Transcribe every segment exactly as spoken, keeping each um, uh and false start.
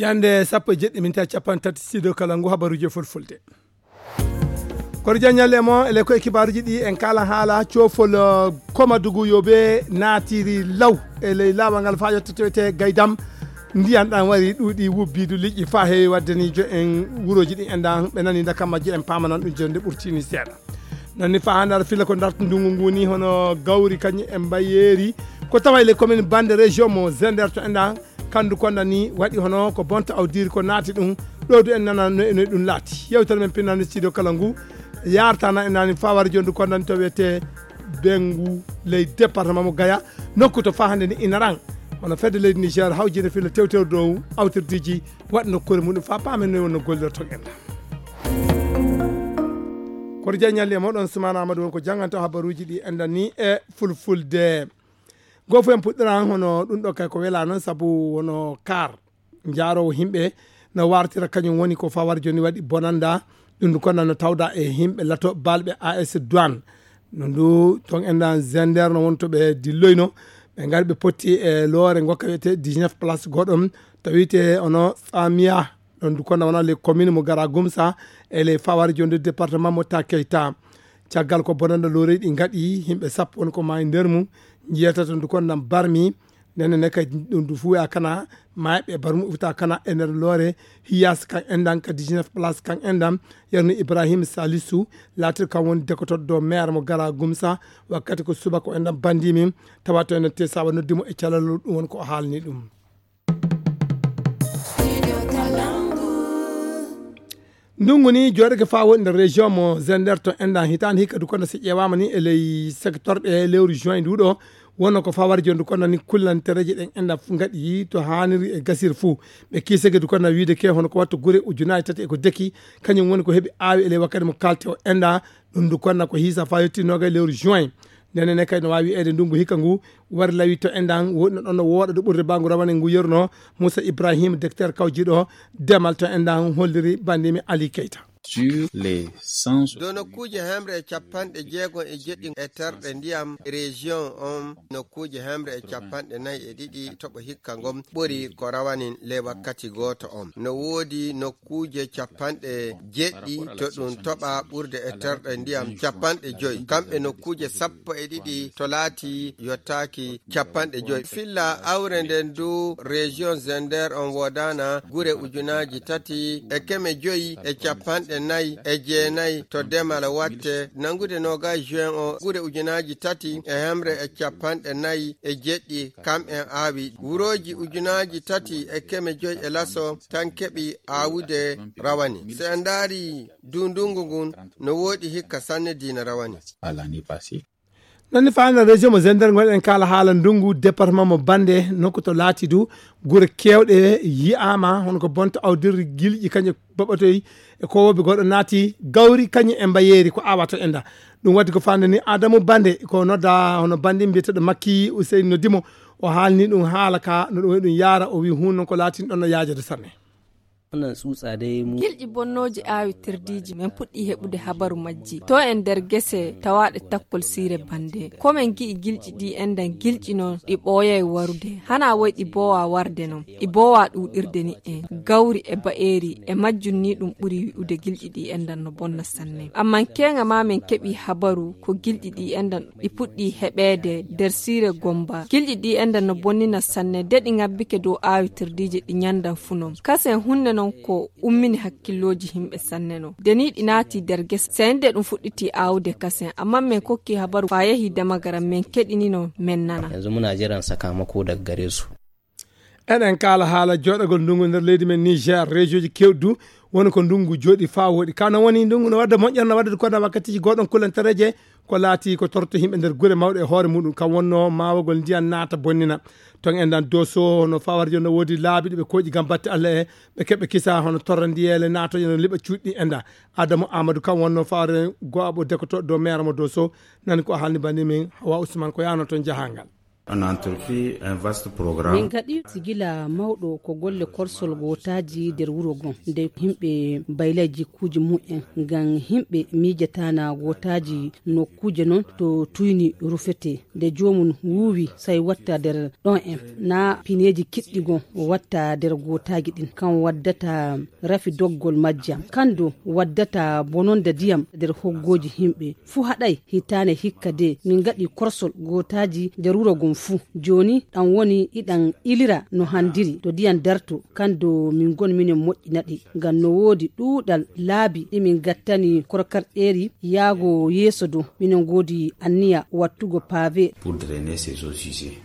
Hannde sappo e jeɗɗi minti capanɗe tati, studio kala ngu habaruuji e fulfulde. Koto jaññalle mo ele koye kibaaruuji ɗi en kala haala coofol, eh, koma dugu yoɓe naatiri law e ley laawol ngal faa yettotoyte gaydam. Ndiyan ɗan wari ɗuuɗi wubbiidu liƴƴi faa heewi waɗde ni jo en wurooji ɗi en ɗan ɓe nani ndaka majje en paamanan ɗum jonde ɓurtini seeɗa. Nani faa hannde aɗa fila ko ndartu ndungu ngu ni hono gawri kañum e mbayeeri. Ko tawa e le commune Bande région mo Zender to en ɗan kandu konda ni waɗi hono ko bonta awdiri ko naati ɗum. Ɗo du en nana no, no ɗum laati. Yewtere men pinnani studio kala ngu. Yartana en nani faa wari jondu konda ni to wiyete Bengu ley département mo Gaya. Nokku to faa hannde ni ina ran. Hono fedde leydi Niger hawjinde fila tewtewdo dow awtirdiiji waɗ nokkuure muɗum faa paamen no wonno gollirton en ɗan. Koto jaññalle e moɗon Sumaana Amadou won ko jannganto habaruuji ɗi en ɗan ni e fulfulde. Goo fof en puɗɗoran hono ɗum ɗo kay ko welaa noon sabu wono kaar njaaroowo yimɓe no wartira kañum woni ko fawar jooni waɗi bonanda. Ɗum ndu konna no tawda e yimɓe lato balɓe A S Douane. No ndu toon en ɗan Zender no woni to ɓe dilloyno. Ɓe ngari ɓe potti e loore ngokka wiyete dix-neuf place goɗɗo to wiyete ono Samia. Ɗon du kono wona les commune mo Gara Gumsa e les fawari jonde département mo Takeyta. Caggal ko bonanda lorey ɗi ngaɗi yimɓe sappo won ko maayi nder mum. Njiyata to ndu kono ɗam barmi. Nene ne kay ɗum du fuya kana maayiɓe barmu uta kana e nder loore. Hiyas kan endan ka dix-neuf place kan endan. Yerno Ibrahim Salisu laatir kan woni dekotoɗo maire mo Gara Gumsa. Wakkati ko subaka o endan bandi min tawa to enen te sawa noddi mo e calal ɗum won ko o haalni ɗum. Ndungu ni jooɗake faa woni nder région mo Zender to endan hitaande hikka du kono si ƴeewaama ni e ley secteur ɗe lewru juin nduɗo. Wonno ko fawar jondu kono ni kullantereeje ɗen endan fu ngaɗi to haaniri e gasir fuu. Ɓe kiisake du kono wiide ke hono ko wattu gure ujunaaji tati e ko deki kañum woni ko heɓi aawi e ley wakkati mo kalte o enda. Ɗum du konna ko hiisa faa yetti noga e lewru juin. Ndenen ne kay no waawi wiyeede ndungu hikka ngu wari lawi to endan woɗino ɗon no wooɗa ɗo ɓurde bangu rawane ngu yerno. Moussa Ibrahim, docteur kawjiɗo demal to endan holliri bandimi Ali Keita. Sur les cent soixante. Dow nokkuuje hemre e capanɗe jeegom e jeɗɗi e terɗe ndiyam région on, nokkuuje hemre e capanɗe nayi e ɗiɗi toɓo hikka ngon ɓuri ko rawanin ley wakkati gooto on. No woodi nokkuuje capanɗe jeɗɗi to ɗum toɓa ɓurde e terɗe ndiyam capanɗe joyi. Kamɓe nokkuuje sappo e ɗiɗi to laati yottaaki capanɗe joyi. Filla awre nden du région Zender on woodana gure ujunaaji tati e keme joyi e capanɗe nayi e jeenayi to demal watte. Nangude nogas juin o gure ujunaaji tati e hemre e capanɗe nayi e jeɗɗi kam en aawi. Wurooji ujunaaji tati e keme joyi e laso tan keɓi aawude rawani. So en ndaari du ndungu ngun no woodi hikka sanne diina rawani. Nani faanda région mo Zender ngonɗen kala haala ndungu département mo Bande nokku to laati du gure kewɗe yi'ama hono ko bonta awdirri gilƴi kañe baɓatoy e kowoɓe goɗɗo naati gawri kañe e mbayeeri ko awa to enda. Ɗum waɗi ko faande ni Adamu Bande ko nodda hono bandi mbiyeteɗo Makki Useyni noddimo o haalni ɗum haala ka no ɗum waɗi ɗum yaara o wi hun noon ko laatin ɗon no yaajade sanne. Onon suusa dey mu. Gilƴi bonnooji aawitirdiiji men puɗɗii heɓude habaru majji to e nder gese tawaaɗe takkol siire bande. Ko men gi'i gilƴi ɗi endan gilƴi noon ɗi ɓooyay warude. Hanaa woy ɗi boowaa warde noon. Ɗi boowaa ɗuuɗirde ni'e. Gawri e ba'eeri e majjum ni ɗum ɓuri wi'ude gilƴi ɗi endan no bonna sanne. Amman keeŋa maa men keɓii habaru ko gilƴi ɗi endan ɗi puɗɗii heɓeede nder siire Gomba. Gilƴi ɗi endan no bonnina sanne de ɗi ŋabbike dow aawitirdiije ɗi nyandan fu non. Kasen hunde non ko ummini hakkillooji himɓe sanne non. De ni ɗi naati nder gese. Sey nde ɗum fuɗɗiti aawude kasen. Amman men kokki habaru faa yahi damagaram men keɗinino men nana. Yanzu muna jiran sakamako daga gare su. Eɗen kaala haala jooɗagol ndungu nder leydi men Niger, région ji kewɗi du woni ko ndungu jooɗi faa wooɗi. Ka no woni ndungu no wadda moƴƴere, no wadda ko wadda wakkatiji goɗon kulantareje ko laati ko torto yimɓe nder gure mawɗe e hoore muɗum. Kam wonno maawagol ndiyan naata bonnina. Ton en dan Doso no fawar jonno woodi laabi ɗi ɓe kooƴi ngam batte Allah e ɓe keɓe kisa hono torra ndiyele naatoje no liɓa cuuɗi en da. Adamu Amadou kam wonno fawar go'aɓo dekoto dow maire mo Doso. Nani ko haalni bani min Hawa Ousmane ko yaano ton jahangal. On entreprit un vaste programme. Min ngaɗi sigila mawɗo ko golle korsol gootaaji nder wuro gon, nde yimɓe mbayla jikkuuji mumen, ngam yimɓe miijataana gootaaji nokkuuje non to tuyni rufete. Nde joomum wuuwi, sai watta nder ɗon en, na pineeji kiɗɗi gon watta nder gootaaji ɗin. Kan waddata rafi doggol majjam. Kan do waddata bononda ndiyam nder hoggooji yimɓe. Fu haɗai hitaane hikka de min ngaɗi korsol gootaaji nder wuro gon fu. Jooni ɗan woni iɗan ilira no handiri to ndiyam darto. Kan do min gon minen moƴƴina ɗi. Ngam no woodi ɗuuɗal laabi ɗi min gattani korkarɗeeri yaago yeeso do. Minen ngoodi anniya wattugo paave. Pour drainer ces eaux usées.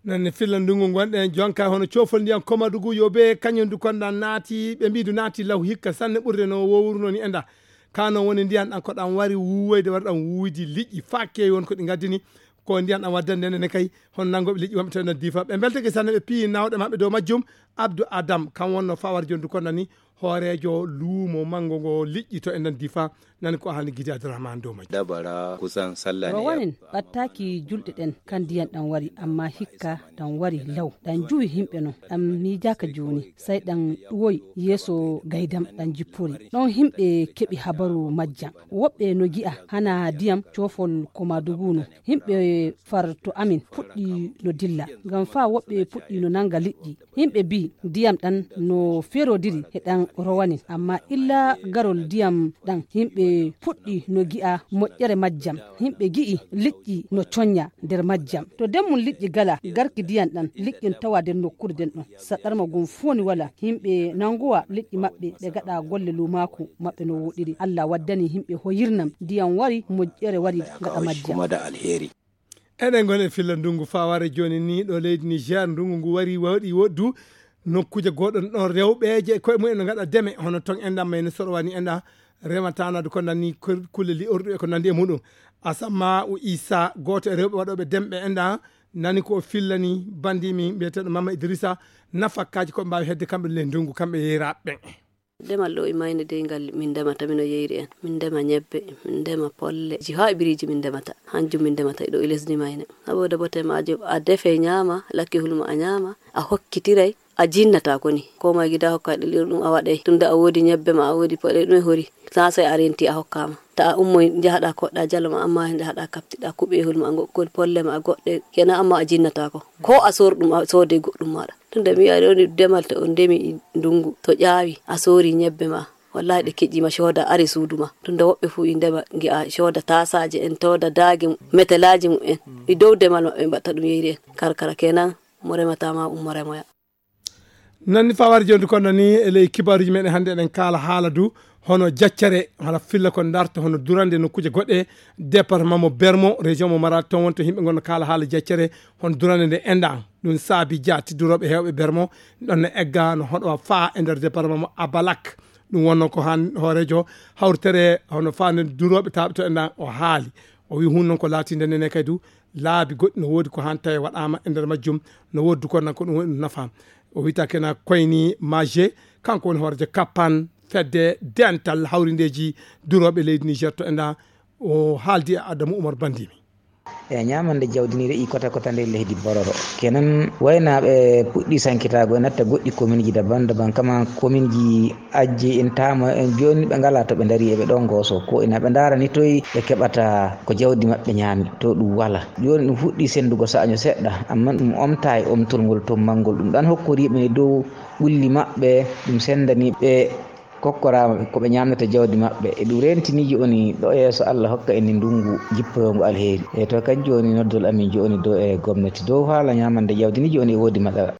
Noon ne filla ndungu ngonɗen jonka hono coofol ndiyam Komadugu yo be kañum du konda naati, ɓe mbidu naati law hikka sanne ɓurde no wowruno ni enda. Kano woni ndiyan ɗan ko ɗan wari wuwoyde, wari ɗan wuwidi liƴƴi fakke won ko ɗi ngaddini. Ko ndiyan ɗan waddande nden kay hono nangoɓe liƴƴi wonɓe to enen difa. Ɓe mbeltake sanne ɓe piyi nawɗe maɓɓe dow majjum. Abdou Adam kan wonno fawar jondu konda ni hooreejo luumo manngo ngo liƴƴi to e nder Difa, nani ko haalni Gidi Abdourahmane dow majjum. Dabara kusan sallah ne. Rowanin ɓattaaki julɗe ɗen, kan ndiyan ɗan wari, amma hikka ɗan wari law. Ɗan juwi yimɓe non, ɗan miijaaka jooni, sai ɗan ɗuwoy yeeso gaydam ɗan jippori. Ɗon yimɓe keɓi habaru majjam. Woɓɓe no gi'a hana ndiyam coofol Komadugu no. Yimɓe far to amin puɗɗi no dilla, ngam faa woɓɓe puɗɗi no nanga liƴƴi. Yimɓe mbii ndiyam ɗan no ferodiri e ɗan rowanin, amma illa garol ndiyam ɗan, yimɓe puɗɗi no gi'a moƴƴere majjam. Yimɓe gi'i liƴƴi no coñña nder majjam. To demmum liƴƴi gala garki ndiyam ɗan, liƴƴi no tawa nder nokkuure nden ɗon. Saɗɗarma gum fuu ni wala. Yimɓe nanguwa liƴƴi maɓɓe, ɓe gaɗa golle luumaaku maɓɓe no wooɗiri. Allah waddani yimɓe hoyirnam, ndiyam wari, moƴƴere wari gaɗa majjam. Eɗen ngoni e filla ndungu faware jooni ni ɗo leydi Niger. Ndungu ngu wari waɗi woɗdu nokkuuje goɗɗo ɗon rewɓeeje koye mumen no ngaɗa deme, hono ton enɗan mayni sorowani enɗa rematana du ko nani kulle li'orɗu e ko nandi e muɗum. Asamma o Isa, gooto e rewɓe waɗooɓe demɓe enɗa, nani ko o fillani bandimi mbiyeteeɗo Mama Idrissa, nafakkaaji ko ɓe mbaawi hedde kamɓe ley ndungu, kamɓe yeyraaɓe ɓen. Demal ɗo e mayne dey ngal min ndemata, mino yeyri en. Min ndema ñebbe, min ndema polle. Ji haa e biriiji min ndemata. Hanjum min ndemata e ɗo e lesdi mayne. Saboda bote maajum, a defe ñaama, lakkihul ma a ñaama, a hokkitiray, a jinnata ko ni. Ko ma gida hokka ɗi ɗum a waɗay. Tunda a woodi ñebbe ma, a woodi poɗe ɗum e hori. Sa sai a renti a hokkama. Ta a ummoy njahaɗa koɗɗa jalo ma, amma njahaɗa kaptiɗa kuɓehul ma, go-, ko polle ma, goɗɗe. Kenan amma a jinnata ko. Ko a sor ɗum, a soode goɗɗum maɗa. Tunda mi wi'a ɗo ni demal to on ndemi ndungu, to ƴaawi, a soori ñebbe ma. Wallahi ɗe keƴƴi ma cooda ari suudu ma. Tunda woɓɓe fu i ndema ngi'a cooda taasaaje en, cooda daage mu-, metelaji mu en. I dow demal maɓɓe mbatta ɗum yeyri en. Karkara kenan mo remata ma ummo remoya. Nanni fawar jonde kono ni e ley kibaruji meɗen hannde eɗen kaala haala du hono jaccere, hala filla ko darta hono durande nokkuuje goɗɗe, département mo Bermo, région mo Maradi, ton wonto yimɓe ngonno kaala haala jaccere hono durande nde enɗan. Ɗum saabi jaati durooɓe heewɓe Bermo ɗon no egga no hoɗo faa e nder département mo Abalak. Ɗum wonno ko han hooreejo hawritere hono faande durooɓe taaɓe to enɗan o haali. O wi hun noon ko laatinde nene kay du laabi goɗɗi no woodi ko han tawi waɗaama e nder majjum, no woodi du ko nan ko ɗum woni ɗum nafa. O wiyta kena Koyni Maje, kanko woni hooreejo kappan fedde dental hawrindeeji durooɓe leydi Niger to enɗan. O haaldi e Adamu Umar Bandimi. E ñaamande jawdi ni re'i kota kota nder leydi Bororo. Kenan waynaaɓe puɗɗi sankitaago e natta goɗɗi kominji daban daban, kama kominji Ajji en taama en jooni ɓe ngalaa to ɓe ndarii, eɓe ɗon ngooso. Ko ina ɓe ndaara ni toy ɓe keɓata ko jawdi maɓɓe ñaami, to ɗum wala. Jooni ɗum fuɗɗii senndugo saaño seɗɗa, ammaa ɗum omtaay omtol ngol to manngol. Ɗum ɗan hokkoriiɓe ni dow ɓulli maɓɓe, ɗum senndanii ɓe kokkoraama ɓe ko ɓe ñaamnata jawdi maɓɓe. E ɗum rentini jooni ɗo yeeso Allah hokka en ni ndunngu jippoyoongu alheri. E to kadi jooni noddol amin jooni dow e gomnati dow haala ñaamande jawdi ni jooni e woodi matsala.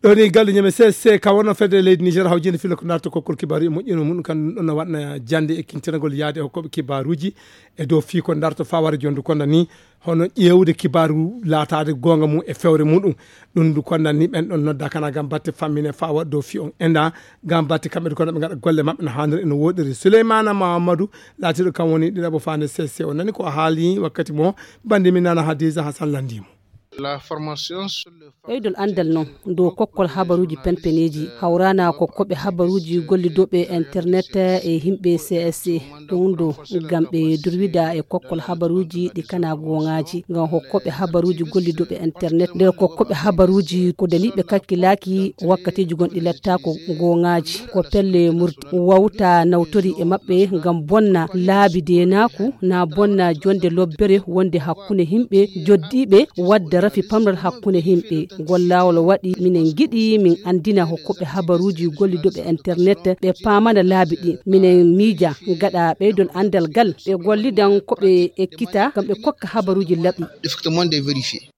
Ɗo ni galɗo ñame C S C ka wonno fedde leydi Niger hawjinde filo ko darto kokkol kibaaru e moƴƴino mum kan ɗon no waɗna jande e kintinagol yaade e hokkooɓe kibaaruji e dow fii ko darto faware jondu konda ni hono ƴeewde kibaaru laataade goonga mum e fewre muɗum. Ɗum ndu konda ni ɓen ɗon nodda kana gam batte fammine fawa dow fii on enda gam batte kamɓe du konda ɓe ngaɗa golle maɓɓe no haaniri e no woɗiri. Souleymana Mamadou laatiɗo kam woni ɗiɗaɓo faande C S C o nani ko o haali wakkati mo bandi min nana Hadiza Hassan landimo. La formation sur le Ɓeydol anndal noon dow kokkol habaruuji penpeneeji hawraana ko koɓe habaruuji gollidooɓe internet e yimɓe C S C. Ɗum ɗo ngam ɓe durwida e kokkol habaruuji ɗi kana gooŋaaji, ngam hokkoɓe habaruuji gollidooɓe internet nder kokkooɓe habaruuji ko daliiɓe kakkilaaki wakkatiiji gonɗi lattaako gooŋaaji. Ko pelle murti wawta nawtori e maɓɓe ngam bonna laabi deenaaku, na bonna jonde lobbere wonde hakkunde yimɓe joddiiɓe, wadda rafi pamral hakkunde yimɓe. Ngol laawol waɗi minen ngiɗi min anndina hokkuɓe habaruuji gollidooɓe internet ɓe paamana laabi ɗi. Minen miija gaɗa ɓeydol anndal gal ɓe gollidan ko ɓe ekkita ngam ɓe kokka habaruuji laɓi. Effectivement, de vérifier.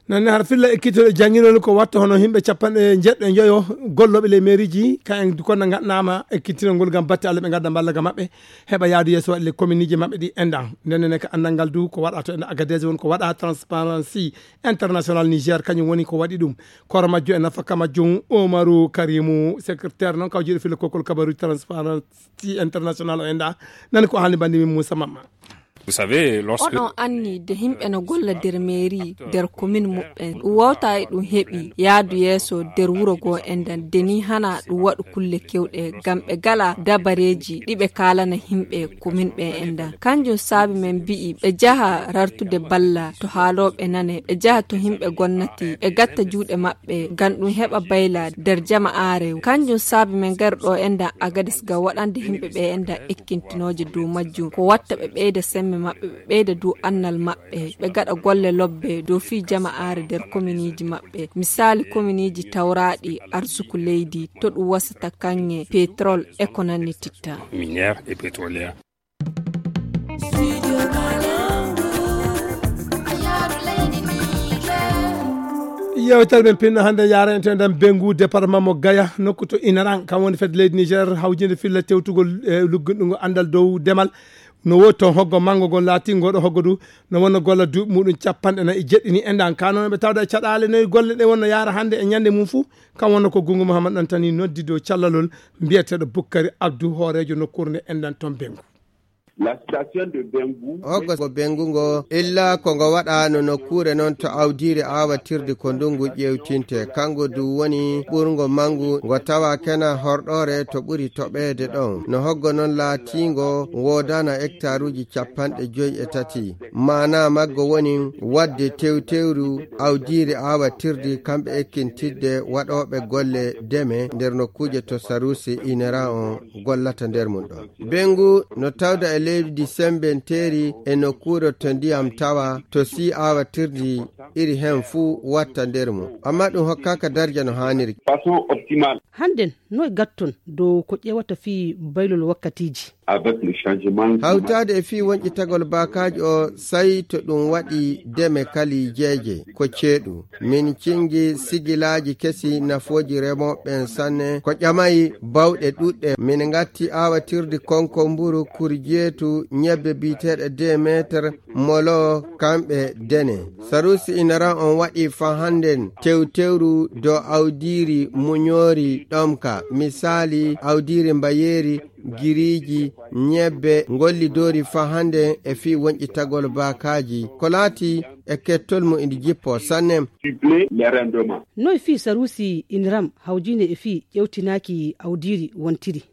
Nanne har filla ekkitoɗo jannginol ko watta hono yimɓe capanɗe njeɗɗo e njoyo gollooɓe ley meeriji, ka en konna ngaɗnama ekkitinol ngol ngam batte Allah ɓe ngadda mballa ga maɓɓe, heɓa yaadu yeeso waɗi le kominiiji maɓɓe ɗi enɗan. Nden ne ka anndal ngal du ko waɗa to enɗan Agadez won ko waɗa Transparency International Niger, kañum woni ko waɗi ɗum. Koora majjum e nafaka majjum Omaru Karimu, secrétaire noon kawjiiɗo filla kokkol kabaru Transparency International o enɗa. Nani ko haalni bandi min Moussa Mamma. Vous savez, lorsque oɗon anni de yimɓe no golla nder mairie nder commune muɓɓen, ɗum wawta e ɗum heɓi yaadu yeeso nder wuro goo enɗan, de ni hana ɗum waɗu kulle kewɗe ngam ɓe gala dabareeji ɗi ɓe kaalana yimɓe commune ɓe enɗan. Kanjum saabi men mbi'i ɓe jaha rartude balla to haalooɓe nane, ɓe jaha to yimɓe gonnati, ɓe gatta juuɗe maɓɓe ngam ɗum heɓa bayla nder jama'aare. Kanjum saabi men ngari ɗo enɗan Agadis ngam waɗande yimɓe ɓe enɗan ekkintinooje dow majjum, ko watta ɓe ɓeyda semme maɓɓe, ɓe ɓeyda dow annal maɓɓe, ɓe gaɗa golle lobbe dow fii jama'aare nder kominiiji maɓɓe. Misaali, kominiiji tawraaɗi arsuku leydi, to ɗum wasata kaŋŋe, pétrole, e ko nanni titta. Minière et pétrolière. Yewtere men pinno hannde yaarante nder Bengu, département mo Gaya, nokku to Inaran, kam woni fedde leydi Niger, hawjinde filla tewtugol e lugginɗo anndal dow demal. No woodi toon hoggo manngo ngol laatingol ɗo hoggo du, no wonno golla duuɓi muɗum capanɗe nayi e jeɗɗi ni enɗan. Ka noon ɓe tawda e caɗaale noye golle ɗe wonno yaara hannde e ñande mum fuu. Kam wonno ko Gungu Muhammad Ɗantani noddi dow callalol mbiyeteeɗo Bukkari Abdu, hooreejo nokkuure nde enɗan toon Bengu. La station de Bengu. Hoggo ko Bengu ngo, illa ko ngo waɗa no nokkuure noon to awdiiri aawatirdi ko ndungu ƴeewtinte. Kango du woni ɓurngo manngu, ngo tawa kena horɗoore to ɓuri toɓeede ɗon. No hoggo noon laatiingo woodana hektaruuji capanɗe joy e tati. Maana maggo woni waɗde tewtewru awdiiri aawatirdi kamɓe ekkintidde waɗooɓe golle deme nder nokkuuje to Sarusi Inera on gollata nder mum ɗon. Bengu no tawda e leydi sembenteeri e nokkuure to ndiyam tawa to sii aawatirdi iri hen fuu watta nder mum. Amma ɗum hokkaaka darja no haaniri. Façon optimale. Hannden, noy gatton dow ko ƴeewata fii baylol wakkatiiji? Avec le changement climatique. Hawtaade e fii wonƴitagol baakaaji o, sayi to ɗum waɗi deme kalijeeje, ko ceeɗu. Min cingi sigilaaji kesi nafooji remooɓe ɓen sanne, ko ƴamayi bawɗe ɗuɗɗe. Min ngatti aawatirdi konko mburu, kurjeetu, ñebbe biyeteeɗe deux mètres, molo, kamɓe dene. Sarusi Inaran on waɗi fa hannden tewtewru dow awdiiri muñoori ɗomka, misaali awdiiri mbayeeri, giriiji, ñebbe, ngollidoori fa hannden e fii wonƴitagol baakaaji. Ko laati e kettol mum indi jippo sanne. Cibler les rendements. Noy fii Sarusi Inram hawjine e fii ƴewtinaaki awdiiri wontiri?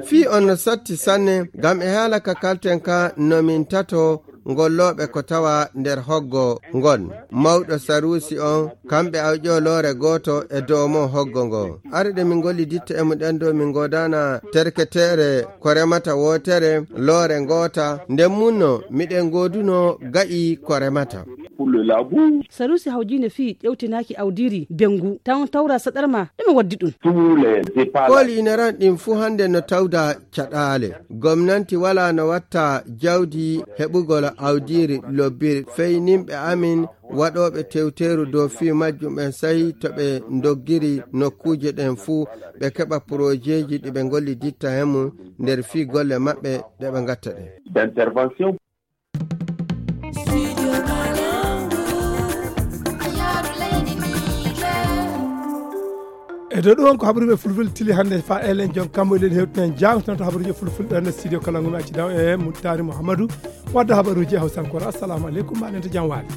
Fii on no satti sanne, ngam e haala ka kalten ka no min tato ngollooɓe ko tawa nder hoggo ngon. Mawɗo Sarusi on, kamɓe awƴo loore gooto e doomo hoggo ngo. Ari ɗe min ngolli ditta e muɗen ɗo min ngoodana terketeere ko remata wootere, loore ngoota, nden munno miɗen ngooduno ga'i ko remata. Pour le labour. Sarusi hawjine fii ƴewtinaaki awdiiri Bengu, tan tawra saɗarma, ɗume waddi ɗum? Tous les épallages. Kooli ina ran ɗin fuu hannde no tawda caɗaale. Gomnanti walaa no watta jawdi heɓugol awdiiri lobbiri. Feynimɓe amin waɗooɓe tewteeru dow fii majjum ɓen sahi to ɓe ndoggiri nokkuuje ɗen fuu, ɓe keɓa porojeeji ɗi ɓe ngolli ditta he mum nder fii golle maɓɓe ɗe ɓe ngatta ɗen. D'intervention. E dow ɗum on ko habaruuji fulfulde tili hannde fa elen jon kammo eɗen hewtinen jangtono to habaruuji fulfulde ɗon e studio kala ngumi accidaw e Muttari Mouhamadou wadda habaruuji e hawsankore. Assalamu aleykum, mbaɗen to jam waali.